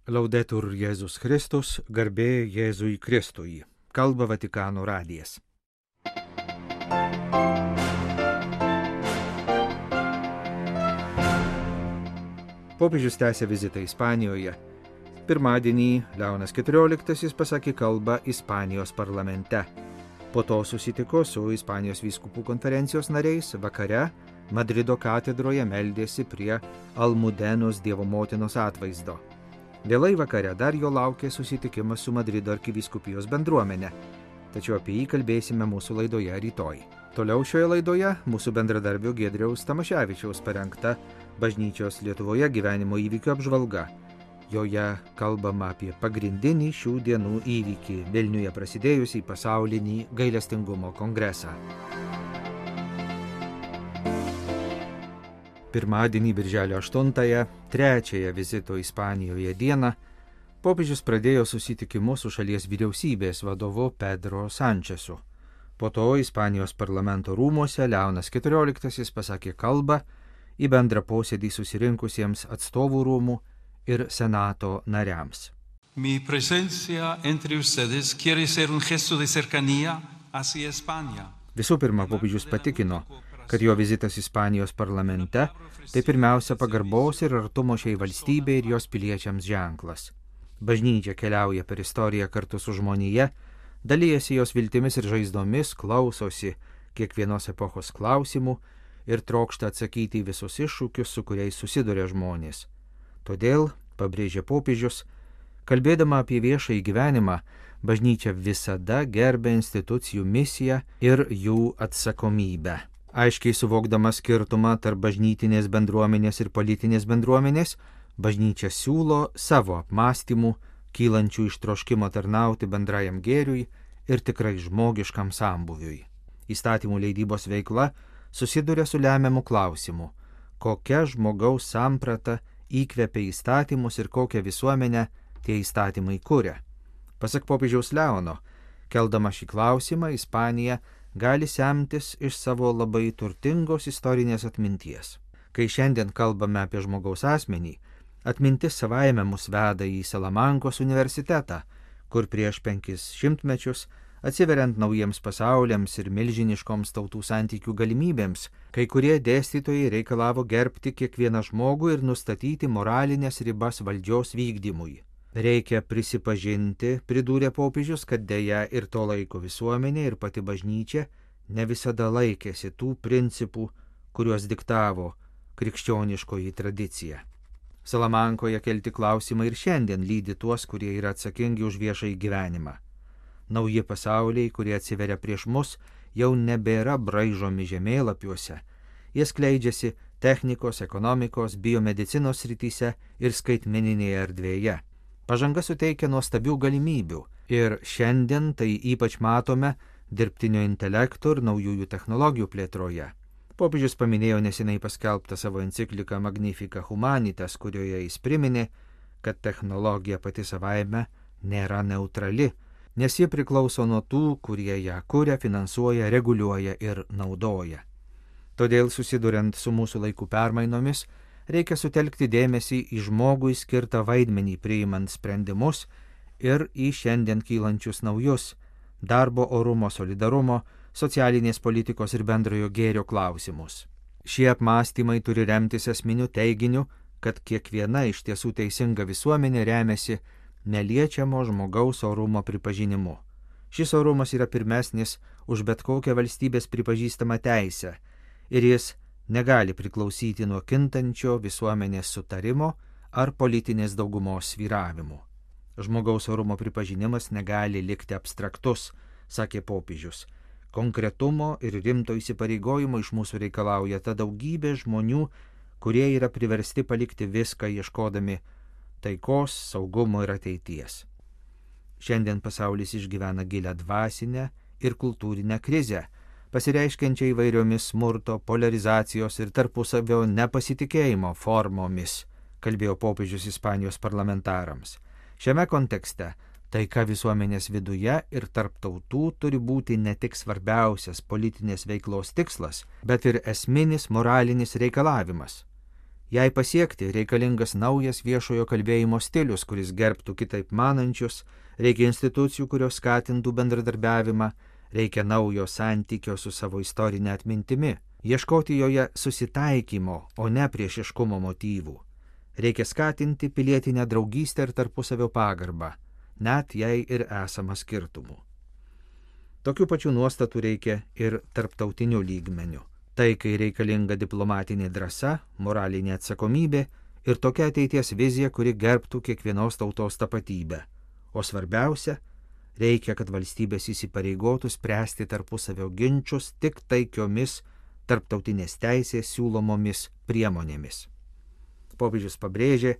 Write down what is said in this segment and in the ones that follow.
Laudetur Jėzus Kristus, garbė Jėzui Kristui. Kalba Vatikano radijas. Popiežius tęsė vizitą Ispanijoje. Pirmadienį Leonas XIV pasakė kalbą Ispanijos parlamente. Po to susitiko su Ispanijos vyskupų konferencijos nariais, vakare Madrido katedroje meldėsi prie Almudenos Dievo motinos atvaizdo. Vėlai vakare dar jo laukė susitikimas su Madrido arkivyskupijos bendruomenė, tačiau apie jį kalbėsime mūsų laidoje rytoj. Toliau šioje laidoje mūsų bendradarbio Giedriaus Tamaševičiaus parengta bažnyčios Lietuvoje gyvenimo įvykių apžvalga. Joje kalbama apie pagrindinį šių dienų įvykį – Vilniuje prasidėjusį pasaulinį gailestingumo kongresą. Pirmadienį birželio 8-ąją, trečiąją vizito Ispanijoje dieną, popiežius pradėjo susitikimus su šalies vyriausybės vadovu Pedro Sančesu. Po to Ispanijos parlamento rūmuose Leonas XIV pasakė kalbą į bendrą posėdį susirinkusiems atstovų rūmų ir senato nariams. Mi presencia entre ustedes quiere ser un gesto de cercanía hacia España. Visų pirma, popiežius patikino, kad jo vizitas Ispanijos parlamente tai pirmiausia pagarbos ir artumo šiai valstybei ir jos piliečiams ženklas. Bažnyčia keliauja per istoriją kartu su žmonija, dalijasi jos viltimis ir žaizdomis, klausosi kiekvienos epochos klausimų ir trokšta atsakyti į visus iššūkius, su kuriais susiduria žmonės. Todėl, pabrėžė popiežius, kalbėdama apie viešąjį gyvenimą, bažnyčia visada gerbia institucijų misiją ir jų atsakomybę. Aiškiai suvokdama skirtumą tarp bažnytinės bendruomenės ir politinės bendruomenės, bažnyčia siūlo savo apmąstymų, kylančių iš troškimo tarnauti bendrajam gėriui ir tikrai žmogiškam sambūviui. Įstatymų leidybos veikla susiduria su lemiamu klausimu, kokia žmogaus samprata įkvepia įstatymus ir kokią visuomenę tie įstatymai kuria. Pasak popiežiaus Leono, keldama šį klausimą, Ispanija gali semtis iš savo labai turtingos istorinės atminties. Kai šiandien kalbame apie žmogaus asmenį, atmintis savaime mus veda į Salamankos universitetą, kur prieš 500 mečius, atsiveriant naujiems pasauliams ir milžiniškoms tautų santykių galimybėms, kai kurie dėstytojai reikalavo gerbti kiekvieną žmogų ir nustatyti moralinės ribas valdžios vykdymui. Reikia prisipažinti, pridūrė popiežius, kad deja ir to laiko visuomenė ir pati bažnyčia ne visada laikėsi tų principų, kuriuos diktavo krikščioniškoji tradicija. Salamankoje kelti klausimai ir šiandien lydi tuos, kurie yra atsakingi už viešąjį gyvenimą. Nauji pasauliai, kurie atsiveria prieš mus, jau nebėra braižomi žemėlapiuose. Jie skleidžiasi technikos, ekonomikos, biomedicinos srityse ir skaitmeninėje erdvėje. Pažanga suteikia nuostabių galimybių ir šiandien tai ypač matome dirbtinio intelekto ir naujųjų technologijų plėtroje. Popiežius paminėjo neseniai paskelbtą savo encikliką Magnificat Humanitas, kurioje jis priminė, kad technologija pati savaime nėra neutrali, nes ji priklauso nuo tų, kurie ją kuria, finansuoja, reguliuoja ir naudoja. Todėl susiduriant su mūsų laikų permainomis, reikia sutelkti dėmesį į žmogui skirtą vaidmenį priimant sprendimus ir į šiandien kylančius naujus darbo orumo, solidarumo, socialinės politikos ir bendrojo gėrio klausimus. Šie apmąstymai turi remtis esminiu teiginiu, kad kiekviena iš tiesų teisinga visuomenė remiasi neliečiamo žmogaus orumo pripažinimu. Šis orumas yra pirmesnis už bet kokią valstybės pripažįstamą teisę ir jis negali priklausyti nuo kintančio visuomenės sutarimo ar politinės daugumos svyravimų. Žmogaus orumo pripažinimas negali likti abstraktus, sakė popiežius. Konkretumo ir rimto įsipareigojimo iš mūsų reikalauja ta daugybė žmonių, kurie yra priversti palikti viską ieškodami taikos, saugumo ir ateities. Šiandien pasaulis išgyvena gilią dvasinę ir kultūrinę krizę, pasireiškiančią įvairiomis smurto, polarizacijos ir tarpusavio nepasitikėjimo formomis, kalbėjo popiežius Ispanijos parlamentarams. Šiame kontekste taika visuomenės viduje ir tarp tautų turi būti ne tik svarbiausias politinės veiklos tikslas, bet ir esminis moralinis reikalavimas. Jai pasiekti reikalingas naujas viešojo kalbėjimo stilius, kuris gerbtų kitaip manančius, reikia institucijų, kurios skatintų bendradarbiavimą, reikia naujo santykio su savo istorinė atmintimi, ieškoti joje susitaikymo, o ne priešiškumo motyvų. Reikia skatinti pilietinę draugystę ir tarpusavio pagarbą, net jei ir esama skirtumų. Tokių pačių nuostatų reikia ir tarptautiniu lygmeniu. Tai, kai reikalinga diplomatinė drąsa, moralinė atsakomybė ir tokia ateities vizija, kuri gerbtų kiekvienos tautos tapatybę. O svarbiausia, reikia, kad valstybės įsipareigotų spręsti tarpusavio ginčus tik taikiomis tarptautinės teisės siūlomomis priemonėmis. Popiežius pabrėžė,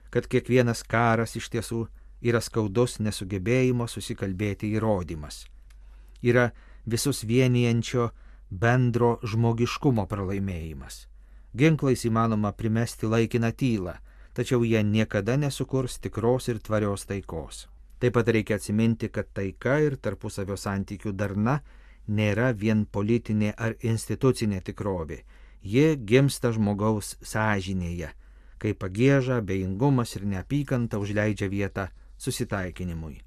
kad kiekvienas karas iš tiesų yra skaudus nesugebėjimo susikalbėti įrodymas. Yra visus vienijančio bendro žmogiškumo pralaimėjimas. Ginklais įmanoma primesti laikiną tylą, tačiau jie niekada nesukurs tikros ir tvarios taikos. Taip pat reikia atsiminti, kad taika ir tarpusavio santykių darna nėra vien politinė ar institucinė tikrovė. Ji gimsta žmogaus sąžinėje, kai pagieža, abejingumas ir neapykanta užleidžia vietą susitaikinimui.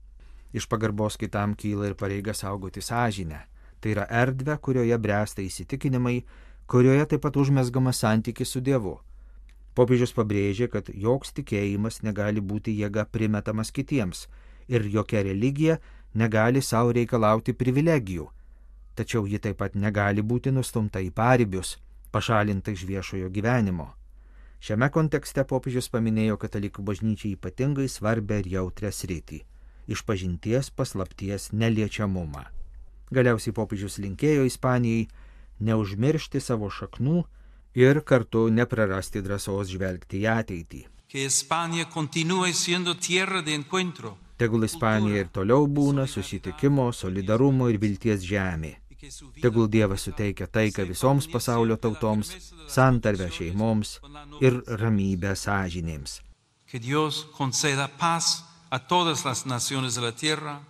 Iš pagarbos kitam kyla ir pareiga saugoti sąžinę. Tai yra erdvė, kurioje bręsta įsitikinimai, kurioje taip pat užmezgamas santykis su Dievu. Popiežius pabrėžė, kad joks tikėjimas negali būti jėga primetamas kitiems ir jokia religija negali savo reikalauti privilegijų. Tačiau ji taip pat negali būti nustumta į paribius, pašalinta iš viešojo gyvenimo. Šiame kontekste popiežius paminėjo katalikų bažnyčiai ypatingai svarbę ir jautrią sritį – išpažinties paslapties neliečiamumą. Galiausiai popiežius linkėjo Ispanijai neužmiršti savo šaknų ir kartu neprarasti drąsos žvelgti į ateitį. Tegul Ispanija ir toliau būna susitikimo, solidarumo ir vilties žemė. Tegul Dievas suteikia taiką visoms pasaulio tautoms, santarvę šeimoms ir ramybę sąžinėms. Que Dios conceda paz a todas las naciones de la tierra,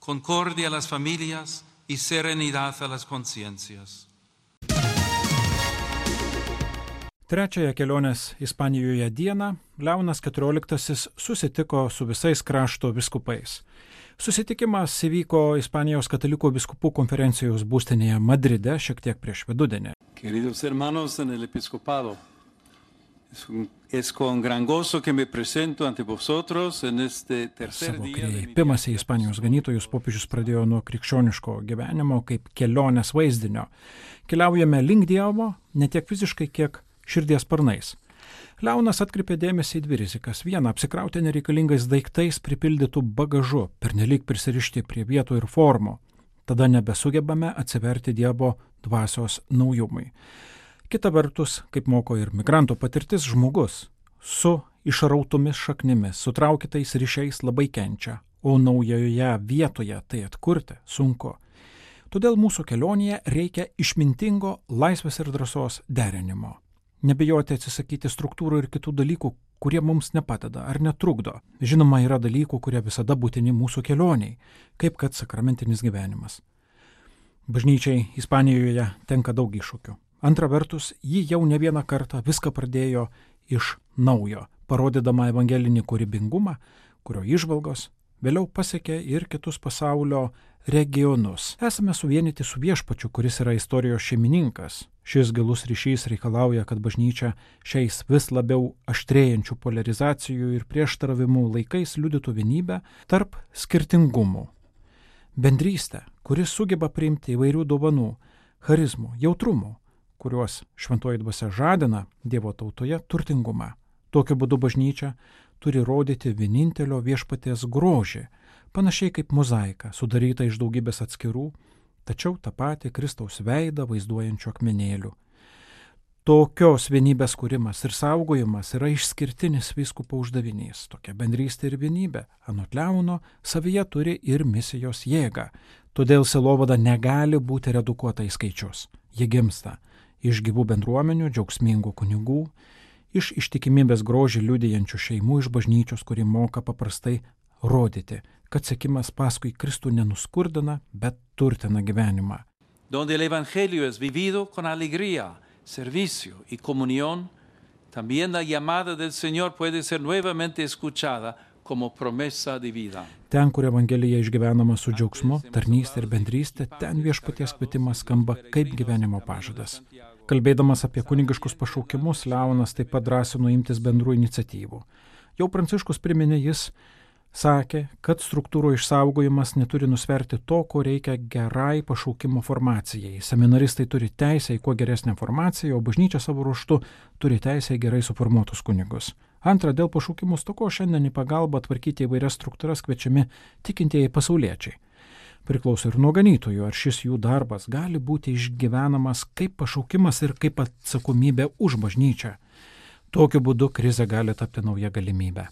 concordia a las familias y serenidad a las conciencias. Trečiąją kelionės Ispanijoje dieną Leonas XIV susitiko su visais krašto vyskupais. Susitikimas įvyko Ispanijos katalikų vyskupų konferencijos būstinėje Madride šiek tiek prieš vidudienį. Queridos hermanos en el episcopado, es con gran gozo que me presento ante vosotros en este tercer Savo día de mi kreipimąsi į Ispanijos ganytojus popiežius pradėjo nuo krikščioniško gyvenimo kaip kelionės vaizdinio. Keliaujame link Dievo ne tiek fiziškai, kiek širdies sparnais. Leonas atkreipė dėmesį į dvi rizikas. Viena, apsikrauti nereikalingais daiktais pripildytų bagažu, pernelyg prisirišti prie vietų ir formų. Tada nebesugebame atsiverti Dievo dvasios naujumui. Kita vertus, kaip moko ir migranto patirtis, žmogus su išrautomis šaknimis, sutraukytais ryšiais labai kenčia, o naujoje vietoje tai atkurti sunku. Todėl mūsų kelionėje reikia išmintingo laisvės ir drąsos derinimo. Nebijoti atsisakyti struktūrų ir kitų dalykų, kurie mums nepadeda ar netrukdo. Žinoma, yra dalykų, kurie visada būtini mūsų kelioniai, kaip kad sakramentinis gyvenimas. Bažnyčiai Ispanijoje tenka daug iššūkių. Antra vertus, ji jau ne vieną kartą viską pradėjo iš naujo, parodydama evangelinį kūrybingumą, kurio įžvalgos vėliau pasiekė ir kitus pasaulio regionus. Esame suvienyti su Viešpačiu, kuris yra istorijos šeimininkas. Šis gilus ryšys reikalauja, kad bažnyčia šiais vis labiau aštrėjančių polarizacijų ir prieštaravimų laikais liudytų vienybę tarp skirtingumų. Bendrystę, kuris sugeba priimti įvairių dovanų, charizmų, jautrumų, kuriuos šventoji dvasia žadina Dievo tautoje turtingumą. Tokiu būdu bažnyčia turi rodyti vienintelio Viešpaties grožį, panašiai kaip mozaika, sudaryta iš daugybės atskirų, tačiau tą patį Kristaus veidą vaizduojančių akmenėlių. Tokios vienybės kūrimas ir saugojimas yra išskirtinis vyskupo uždavinys. Tokia bendrystė ir vienybė, anot Leono, savyje turi ir misijos jėgą. Todėl sielovada negali būti redukuota į skaičius. Ji gimsta iš gyvų bendruomenių, džiaugsmingų kunigų, iš ištikimybės grožį liudijančių šeimų, iš bažnyčios, kuri moka paprastai rodyti, kad sekimas paskui Kristų nenuskurdina, bet turtina gyvenimą. Donde el evangelio es vivido con alegría, servicio y comunión, También la llamada del Señor puede ser nuevamente escuchada como promesa de vida. Ten, kur Evangelija išgyvenama su džiaugsmu, tarnystė ir bendrystė, ten viešpaties kvietimas skamba kaip gyvenimo pažadas. Kalbėdamas apie kunigiškus pašaukimus, Leonas taip pat drąsino imtis bendrų iniciatyvų. Jau Pranciškus priminė, jis sakė, kad struktūrų išsaugojimas neturi nusverti to, ko reikia gerai pašaukimo formacijai. Seminaristai turi teisę į kuo geresnę formaciją, o bažnyčia savo ruožtu turi teisę į gerai suformuotus kunigus. Antra, dėl pašaukimų stokos šiandien į pagalbą tvarkyti įvairias struktūras kviečiami tikintieji pasauliečiai. Priklauso ir nuo ganytojų, ar šis jų darbas gali būti išgyvenamas kaip pašaukimas ir kaip atsakomybė už bažnyčią. Tokiu būdu krizė gali tapti nauja galimybė.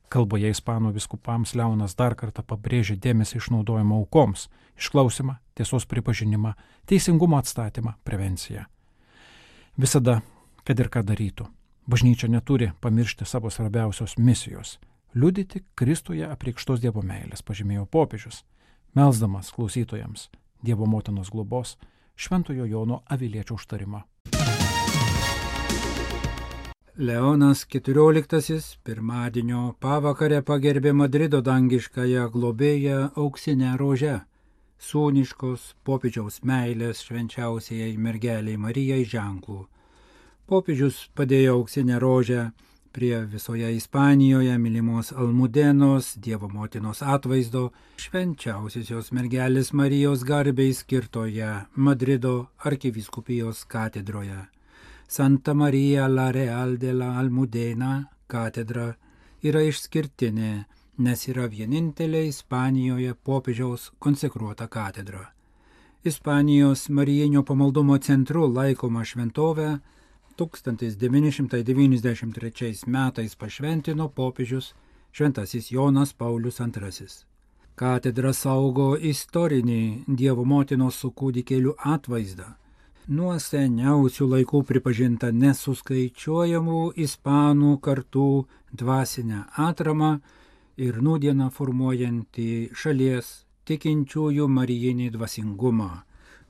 Kalboje ispanų vyskupams Leonas dar kartą pabrėžė dėmesį išnaudojimo aukoms, išklausimą, tiesos pripažinimą, teisingumo atstatymą, prevenciją. Visada, kad ir ką darytų, bažnyčia neturi pamiršti savo svarbiausios misijos – liudyti Kristuje apreikštos Dievo meilės, pažymėjo popiežius, melsdamas klausytojams Dievo motinos globos, Šventojo Jono Aviliečio užtarimą. Leonas XIV pirmadienio pavakarę pagerbė Madrido dangiškąją globėją auksinę rožę, sūniškos popiežiaus meilės švenčiausiai mergeliai Marijai ženklų. Popiežius padėjo auksinę rožę prie visoje Ispanijoje mylimos Almudenos, Dievo motinos atvaizdo, švenčiausiosios mergelės Marijos garbei skirtoje Madrido arkivyskupijos katedroje. Santa Maria la Real de la Almudena katedra yra išskirtinė, nes yra vienintelė Ispanijoje popiežiaus konsekruota katedra. Ispanijos Marijinio pamaldumo centru laikoma šventovė 1993 metais pašventino popiežius šventasis Jonas Paulius II. Katedra saugo istorinį Dievo motinos su kūdikėliu atvaizdą, nuo seniausių laikų pripažinta nesuskaičiuojamų ispanų kartų dvasinę atramą ir nūdieną formuojantį šalies tikinčiųjų marijinį dvasingumą.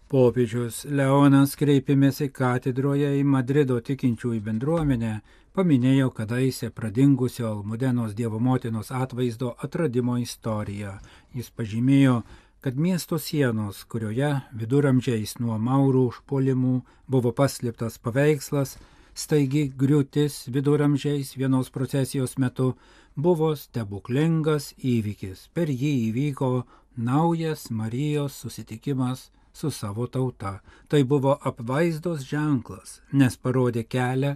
Popiežius Leonas kreipėmėsi katedroje į Madrido tikinčiųjų bendruomenę, paminėjo kadaise pradingusio Almudenos Dievo motinos atvaizdo atradimo istoriją. Jis pažymėjo, kad miesto sienos, kurioje viduramžiais nuo maurų užpuolimų buvo paslėptas paveikslas, staigi griūtis viduramžiais vienos procesijos metu buvo stebuklingas įvykis. Per jį įvyko naujas Marijos susitikimas su savo tauta. Tai buvo apvaizdos ženklas, nes parodė kelią,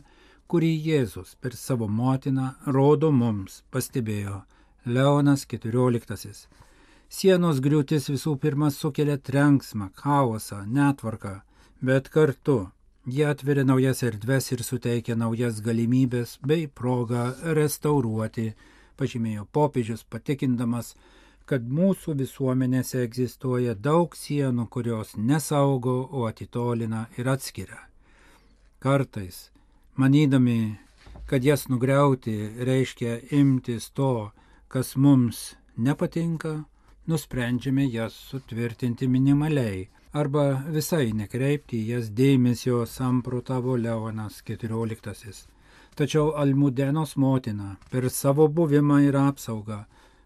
kurį Jėzus per savo motiną rodo mums, pastebėjo Leonas XIV. Sienos griūtis visų pirma sukelia trenksmą, chaosą, netvarką, bet kartu jie atveria naujas erdves ir suteikia naujas galimybės bei progą restauruoti, pažymėjo popiežius, patikindamas, kad mūsų visuomenėse egzistuoja daug sienų, kurios nesaugo, o atitolina ir atskiria. Kartais, manydami, kad jas nugriauti reiškia imtis to, kas mums nepatinka, nusprendžiame jas sutvirtinti minimaliai arba visai nekreipti jas dėmesio, samprotavo Leonas XIV. Tačiau Almudenos motina per savo buvimą ir apsaugą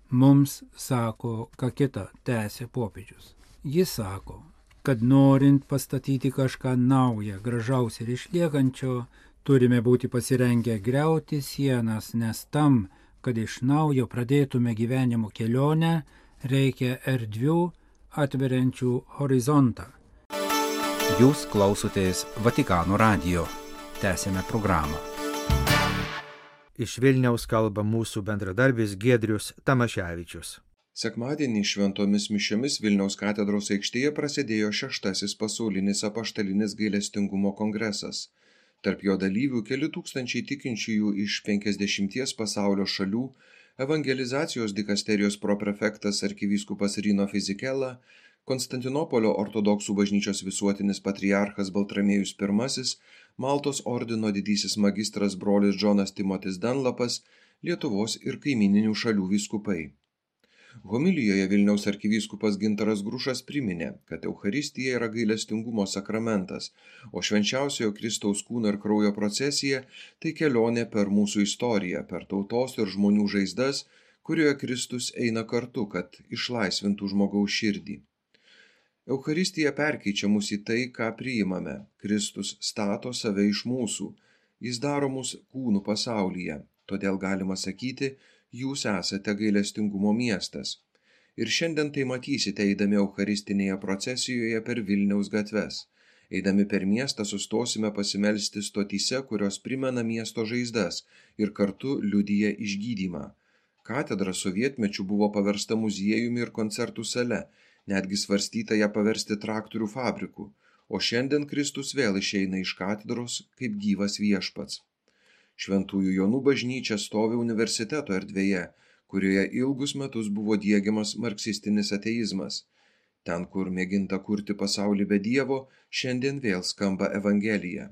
mums sako, ką kita, tęsė popiežius. Jis sako, kad norint pastatyti kažką naują, gražaus ir išliekančio, turime būti pasirengę griauti sienas, nes tam, kad iš naujo pradėtume gyvenimo kelionę, reikia erdvių atveriančių horizontą. Jūs klausotės Vatikano radijo. Tęsėme programą. Iš Vilniaus kalba mūsų bendradarbis Giedrius Tamaševičius. Sekmadienį šventomis mišiomis Vilniaus katedros aikštėje prasidėjo 6. pasaulinis apaštalinis gailestingumo kongresas. Tarp jo dalyvių keli tūkstančiai tikinčiųjų iš 50 pasaulio šalių, evangelizacijos dikasterijos proprefektas arkivyskupas Rino Fizikela, Konstantinopolio ortodoksų bažnyčios visuotinis patriarchas Baltramiejus I, Maltos ordino didysis magistras brolis Džonas Timotis Danlapas, Lietuvos ir kaimininių šalių vyskupai. Homilijoje Vilniaus arkivyskupas Gintaras Grušas priminė, kad Eucharistija yra gailestingumo sakramentas, o švenčiausiojo Kristaus kūno ir kraujo procesija tai kelionė per mūsų istoriją, per tautos ir žmonių žaizdas, kurioje Kristus eina kartu, kad išlaisvintų žmogaus širdį. Eucharistija perkeičia mus į tai, ką priimame. Kristus stato save iš mūsų. Jis daro mus kūnų pasaulyje. Todėl galima sakyti, jūs esate gailestingumo miestas. Ir šiandien tai matysite eidami eucharistinėje procesijoje per Vilniaus gatves. Eidami per miestą sustosime pasimelsti stotyse, kurios primena miesto žaizdas ir kartu liudija išgydymą. Katedra sovietmečiu buvo paversta muziejumi ir koncertų sale, netgi svarstyta ją paversti traktorių fabriku, o šiandien Kristus vėl išeina iš katedros kaip gyvas viešpats. Šventųjų Jonų bažnyčia stovi universiteto erdvėje, kurioje ilgus metus buvo diegiamas marksistinis ateizmas. Ten, kur mėginta kurti pasaulį be Dievo, šiandien vėl skamba Evangelija.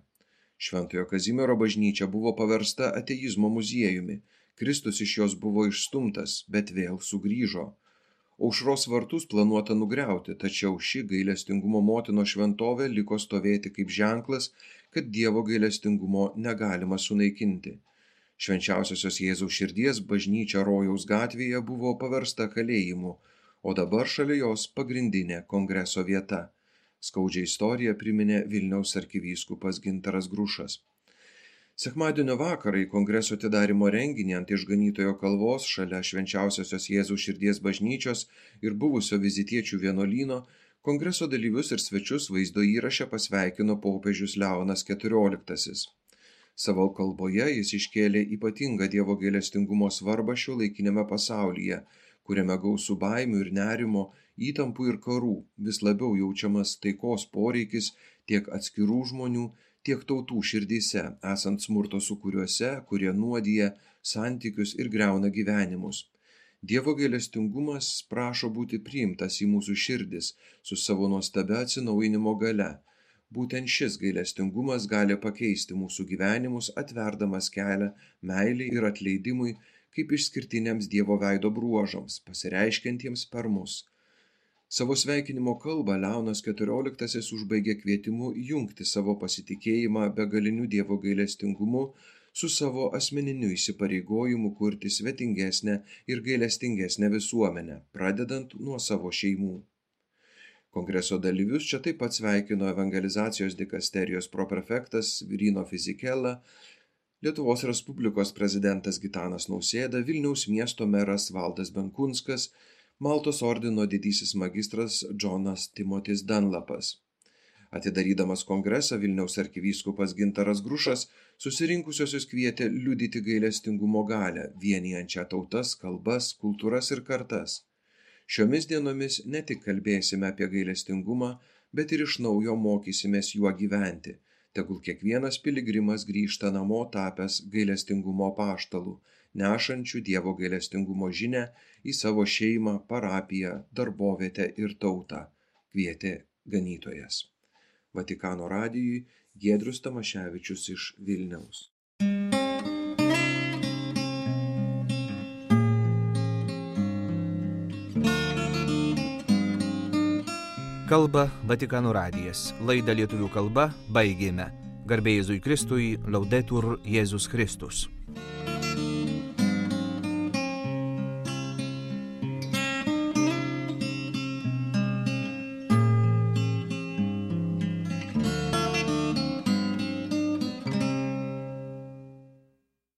Šventojo Kazimiero bažnyčia buvo paversta ateizmo muziejumi. Kristus iš jos buvo išstumtas, bet vėl sugrįžo. Aušros vartus planuota nugriauti, tačiau ši gailestingumo motino šventovė liko stovėti kaip ženklas, kad Dievo gailestingumo negalima sunaikinti. Švenčiausiosios Jėzaus širdies bažnyčia Rojaus gatvėje buvo paversta kalėjimu, o dabar šalia jos pagrindinė kongreso vieta. Skaudžią istoriją priminė Vilniaus arkivyskupas Gintaras Grušas. Sekmadienio vakarą į kongreso atidarymo renginį ant Išganytojo kalvos šalia Švenčiausiosios Jėzaus širdies bažnyčios ir buvusio vizitiečių vienuolyno kongreso dalyvius ir svečius vaizdo įraše pasveikino popiežius Leonas XIV. Savo kalboje jis iškėlė ypatingą Dievo gailestingumo svarbą šiuolaikiniame pasaulyje, kuriame gausų baimių ir nerimo, įtampų ir karų, vis labiau jaučiamas taikos poreikis tiek atskirų žmonių, tiek tautų širdyse, esant smurto sūkuriuose, kurie nuodija santykius ir griauna gyvenimus. Dievo gailestingumas prašo būti priimtas į mūsų širdis su savo nuostabia atsinaujinimo galia. Būtent šis gailestingumas gali pakeisti mūsų gyvenimus, atverdamas kelią meilei ir atleidimui kaip išskirtiniams Dievo veido bruožams, pasireiškiantiems per mus. Savo sveikinimo kalbą Leonas XIV užbaigė kvietimu jungti savo pasitikėjimą begaliniu Dievo gailestingumu su savo asmeniniu įsipareigojimu kurti svetingesnę ir gailestingesnę visuomenę, pradedant nuo savo šeimų. Kongreso dalyvius čia taip pat sveikino evangelizacijos dikasterijos proprefektas Virino Fizikela, Lietuvos Respublikos prezidentas Gitanas Nausėda, Vilniaus miesto meras Valdas Benkunskas, Maltos ordino didysis magistras Džonas Timotis Dunlapas. Atidarydamas kongresą Vilniaus arkivyskupas Gintaras Grušas susirinkusiosius kvietė liudyti gailestingumo galią, vienijančią tautas, kalbas, kultūras ir kartas. Šiomis dienomis ne tik kalbėsime apie gailestingumą, bet ir iš naujo mokysimės juo gyventi. Tegul kiekvienas piligrimas grįžta namo tapęs gailestingumo apaštalų, nešančių Dievo gailestingumo žinią į savo šeimą, parapiją, darbovietę ir tautą, kvietė ganytojas. Vatikano radijui Giedrius Tamaševičius iš Vilniaus. Kalba Vatikano radijas. Laidą lietuvių kalba baigėme. Garbė Jėzui Kristui, Laudetur Jėzus Kristus.